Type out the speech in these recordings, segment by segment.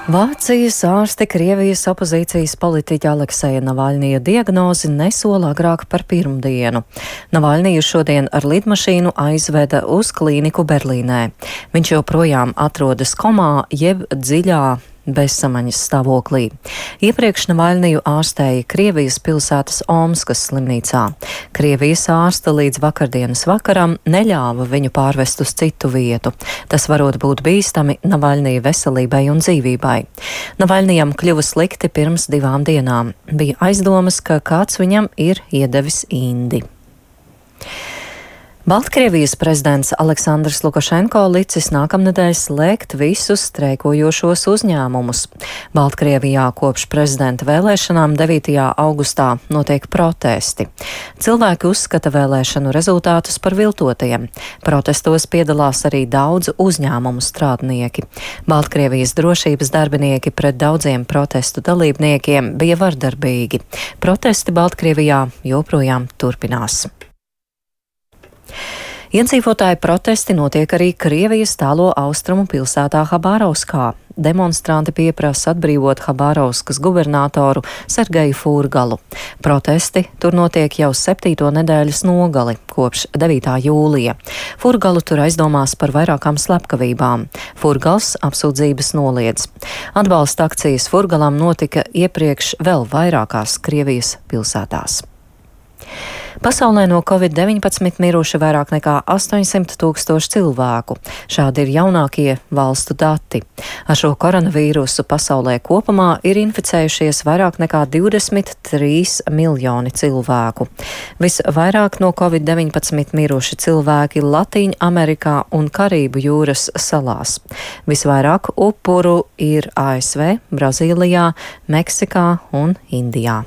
Vācijas ārsti Krievijas opozīcijas politiķa Alekseja Navaļnija diagnozi nesola agrāk par pirmdienu. Navaļniju šodien ar lidmašīnu aizveda uz klīniku Berlīnē. Viņš joprojām atrodas komā jeb dziļā bezsamaņas stāvoklī. Iepriekš Navaļniju ārstēja Krievijas pilsētas Omskas slimnīcā. Krievijas ārste līdz vakardienas vakaram neļāva viņu pārvest uz citu vietu. Tas varot būt bīstami Navaļnija veselībai un dzīvībai. Navaļnijam kļuva slikti pirms 2 dienām. Bija aizdomas, ka kāds viņam ir iedevis indi. Baltkrievijas prezidents Aleksandrs Lukašenko licis nākamnedēļ slēgt visus streikojošos uzņēmumus. Baltkrievijā kopš prezidenta vēlēšanām 9. augustā notiek protesti. Cilvēki uzskata vēlēšanu rezultātus par viltotajiem. Protestos piedalās arī daudzu uzņēmumu strādnieki. Baltkrievijas drošības darbinieki pret daudziem protestu dalībniekiem bija vardarbīgi. Protesti Baltkrievijā joprojām turpinās. Iedzīvotāju protesti notiek arī Krievijas tālo austrumu pilsētā Habārovskā. Demonstranti pieprasa atbrīvot Habārovskas gubernatoru Sergeju Furgalu. Protesti tur notiek jau 7. nedēļas nogali, kopš 9. jūlija. Furgalu tur aizdomās par vairākām slepkavībām. Furgals apsūdzības noliedz. Atbalsta akcijas Furgalam notika iepriekš vēl vairākās Krievijas pilsētās. Pasaulē no Covid-19 miruši vairāk nekā 800 000 cilvēku. Šādi ir jaunākie valstu dati. Ar šo koronavīrusu pasaulē kopumā ir inficējušies vairāk nekā 23 miljoni cilvēku. Visvairāk no Covid-19 miruši cilvēki Latīņa Amerikā un Karību jūras salās. Visvairāk upuru ir ASV, Brazīlijā, Meksikā un Indijā.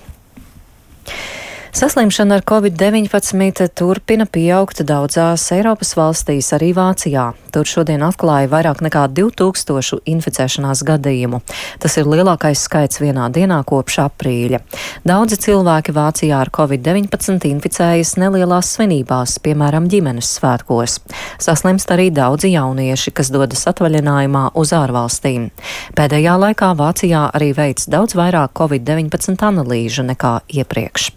Saslimšana ar Covid-19 turpina pieaugt daudzās Eiropas valstīs, arī Vācijā. Tur šodien atklāja vairāk nekā 2000 inficēšanās gadījumu. Tas ir lielākais skaits vienā dienā kopš aprīļa. Daudzi cilvēki Vācijā ar Covid-19 inficējas nelielās svinībās, piemēram, ģimenes svētkos. Saslimst arī daudzi jaunieši, kas dodas atvaļinājumā uz ārvalstīm. Pēdējā laikā Vācijā arī veic daudz vairāk Covid-19 analīžu nekā iepriekš.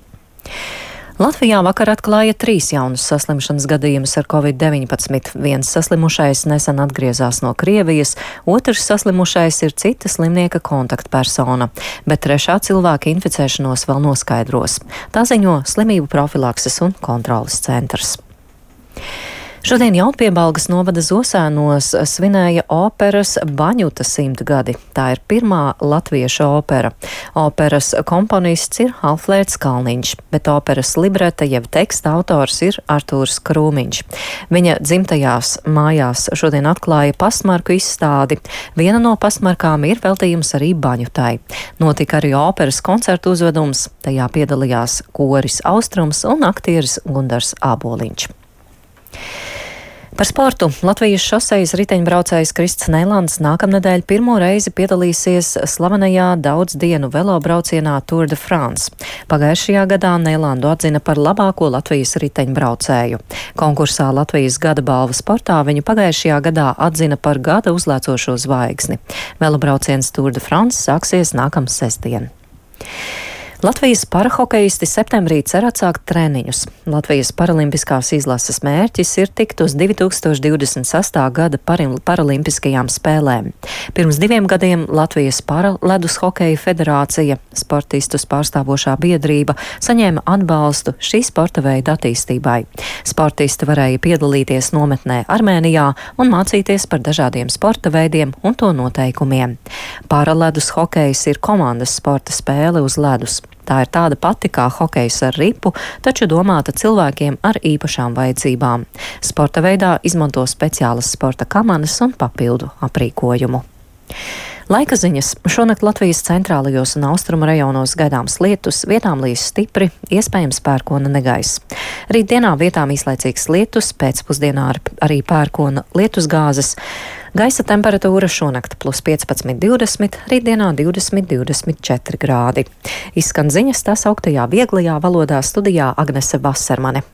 Latvijā vakar atklāja 3 jaunus saslimšanas gadījumus ar Covid-19. Viens saslimušais nesen atgriezās no Krievijas, otrs saslimušais ir cita slimnieka kontaktpersona, bet 3. cilvēka inficēšanos vēl noskaidros. Tā ziņo Slimību profilakses un kontroles centrs. Šodien Jaunpiebalgas novada Zosēnos svinēja operas Baņuta 100 gadi. Tā ir pirmā latviešu opera. Operas komponists ir Alfrēds Kalniņš, bet operas libreta jeb teksta autors ir Artūrs Krūmiņš. Viņa dzimtajās mājās šodien atklāja pasmarku izstādi. Viena no pasmarkām ir veltījums arī Baņutai. Notika arī operas koncertu uzvedums. Tajā piedalījās koris Austrums un aktieris Gundars Āboliņš. Par sportu Latvijas šosejas riteņbraucējs Krists Neilands nākamnedēļ pirmo reizi piedalīsies slavenajā daudzdienu velobraucienā Tour de France. Pagājušajā gadā Neilandu atzina par labāko Latvijas riteņbraucēju. Konkursā Latvijas gada balva sportā viņu pagājušajā gadā atzina par gada uzlēcošo zvaigzni. Velobrauciens Tour de France sāksies nākamā sestdien. Latvijas parahokeisti septembrī cer atsākt treniņus. Latvijas paralimpiskās izlases mērķis ir tikt uz 2026. gada paralimpiskajām spēlēm. Pirms 2 gadiem Latvijas paraledus hokeja federācija, sportistus pārstāvošā biedrība, saņēma atbalstu šī sporta veida attīstībai. Sportisti varēja piedalīties nometnē Armēnijā un mācīties par dažādiem sporta veidiem un to noteikumiem. Paraledus hokejs ir komandas sporta spēle uz ledus. Tā ir tāda pati kā hokejs ar ripu, taču domāta cilvēkiem ar īpašām vajadzībām. Sporta veidā izmanto speciālas sporta kamanas un papildu aprīkojumu. Laika ziņas. Šonakt Latvijas centrālajos un austrumu rajonos gaidāms lietus, vietām līs stipri, iespējams pērkona negaiss. Rītdienā vietām īslaicīgs lietus, pēcpusdienā arī pērkona lietusgāzes. Gaisa temperatūra šonakt +15, 20, rītdienā 20, 24 grādi. Izskan ziņas tās augtajā vieglajā valodā studijā Agnese Vasermane.